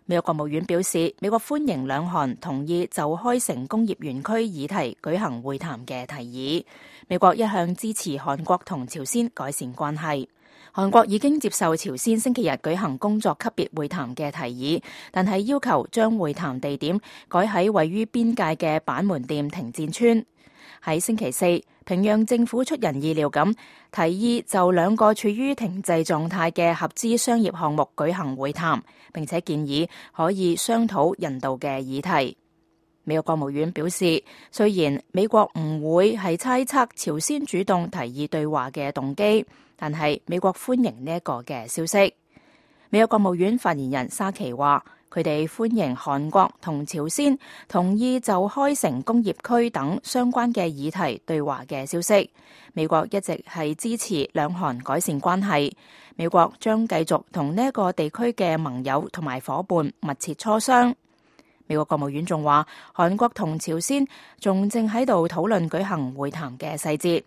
美國國務院表示，美國歡迎兩韓同意就開城工業園區議題舉行會談嘅提議。美國一向支持韓國同朝鮮改善關係。韓國已經接受朝鮮星期日舉行工作級別會談嘅提議，但係要求將會談地點改喺位於邊界嘅板門店停戰村。喺星期四，平壤政府出人意料咁提議就兩個處於停滯狀態嘅合資商業項目舉行會談，並且建議可以商討人道嘅議題。美國國務院表示，雖然美國唔會係猜測朝鮮主動提議對話嘅動機，但係美國歡迎呢一個嘅消息。美國國務院發言人沙奇話，佢哋歡迎韓國同朝鮮同意就開城工業區等相關嘅議題對話嘅消息。美國一直係支持兩韓改善關係，美國將繼續同呢一個地區嘅盟友同埋夥伴密切磋商。美國國務院仲話，韓國同朝鮮仲正喺度討論舉行會談嘅細節，